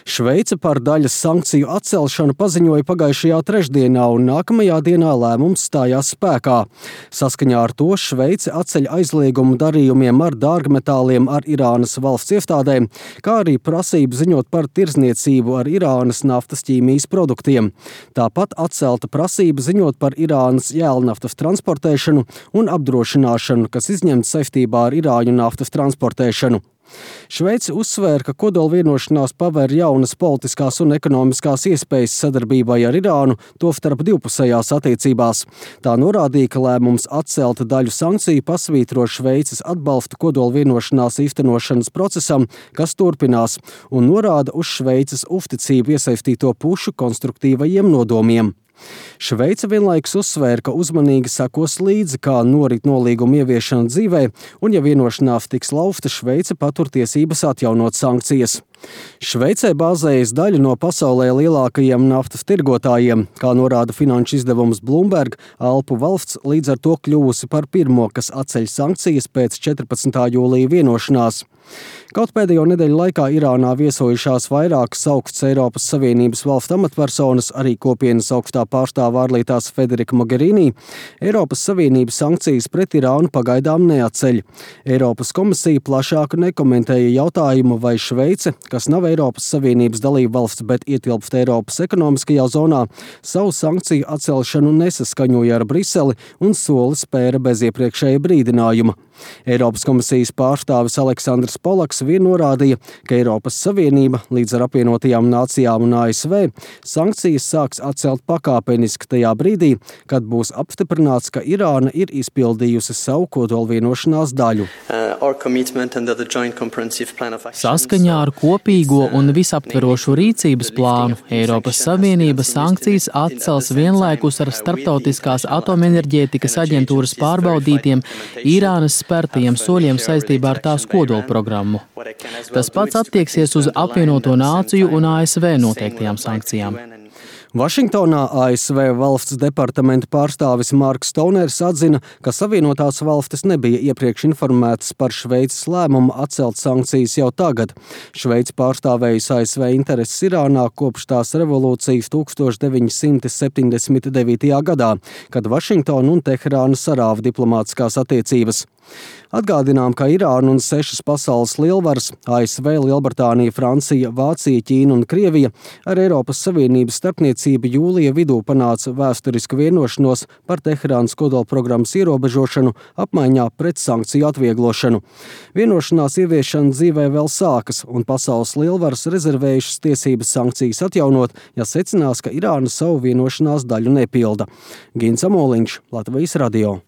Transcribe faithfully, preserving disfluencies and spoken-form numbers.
Šveice par daļas sankciju atcelšanu paziņoja pagājušajā trešdienā, un nākamajā dienā lēmums stājās spēkā. Saskaņā ar to Šveice atceļ aizliegumu darījumiem ar dārgmetāliem ar Irānas valsts iestādēm, kā arī prasību ziņot par tirdzniecību ar Irānas naftas ķīmijas produktiem. Tāpat atcelta prasība ziņot par Irānas jēlnaftas transportēšanu un apdrošināšanu, kas izņemta saistībā ar irāņu naftas transportēšanu. Šveice uzsvēra, ka kodolvienošanās paver jaunas politiskās un ekonomiskās iespējas sadarbībai ar Irānu, tostarp divpusējās attiecībās. Tā norādīja, ka lēmums atcelt daļu sankciju pasvītro Šveices atbalstu kodolvienošanās īstenošanas procesam, kas turpinās, un norāda uz Šveices uzticību iesaistīto pušu konstruktīvajiem nodomiem. Šveice vienlaikus uzsvēra, ka uzmanīgi sekos līdzi, kā norit nolīguma ieviešana dzīvē, un ja vienošanās tiks lauzta, Šveice patur tiesības atjaunot sankcijas. Šveicē bāzējas daļa no pasaulē lielākajiem naftas tirgotājiem, kā norāda finanšu izdevums Bloomberg, Alpu valsts līdz ar to kļuvusi par pirmo, kas atceļ sankcijas pēc četrpadsmitā jūlija vienošanās. Kaut pēdējo nedēļu laikā Irānā viesojušās vairākas augstas Eiropas Savienības valstu amatpersonas, arī kopienas augstā pārstāve ārlietās Federika Mogherini, Eiropas Savienības sankcijas pret Irānu pagaidām neatceļ. Eiropas komisija plašāk nekomentēja jautājumu, vai Šveice, kas nav Eiropas Savienības dalība valsts, bet ietilpst Eiropas ekonomiskajā zonā, savu sankciju atcelšanu nesaskaņoja ar Briseli un soli spēra bez iepriekšēja brīdinājuma. Eiropas komisijas pārstāvis Aleksandrs Polaks vien norādīja, ka Eiropas Savienība līdz ar apvienotajām nācijām un A S V sankcijas sāks atcelt pakāpeniski tajā brīdī, kad būs apstiprināts, ka Irāna ir izpildījusi savu kodolvienošanās daļu. Saskaņā ar kopīgo un visaptverošu rīcības plānu Eiropas Savienība sankcijas atcels vienlaikus ar Starptautiskās atomenerģētikas aģentūras pārbaudītiem Irānas spērtajiem soļiem saistībā ar tās kodolprogrammu. Tas pats attieksies uz apvienoto nāciju un A S V noteiktajām sankcijām. Vašingtonā A S V valsts departamenta pārstāvis Marks Stoners atzina, ka Savienotās valstis nebija iepriekš informētas par Šveices lēmumu atcelt sankcijas jau tagad. Šveice pārstāvējusi A S V intereses Irānā kopš tās revolūcijas tukstovš deviņi simti septiņdesmit devītajā gadā, kad Vašingtona un Teherāna sarāva diplomātiskās attiecības. Atgādinām, ka Irāna un sešas pasaules lielvaras – A S V, Lielbritānija, Francija, Vācija, Ķīna un Krievija – ar Eiropas Savienības starpniecību jūlija vidū panāca vēsturisku vienošanos par Teherānas kodolprogrammas ierobežošanu apmaiņā pret sankciju atvieglošanu. Vienošanās ieviešana dzīvē vēl sākas, un pasaules lielvaras rezervējušas tiesības sankcijas atjaunot, ja secinās, ka Irāna savu vienošanās daļu nepilda. Gins Amoliņš, Latvijas radio.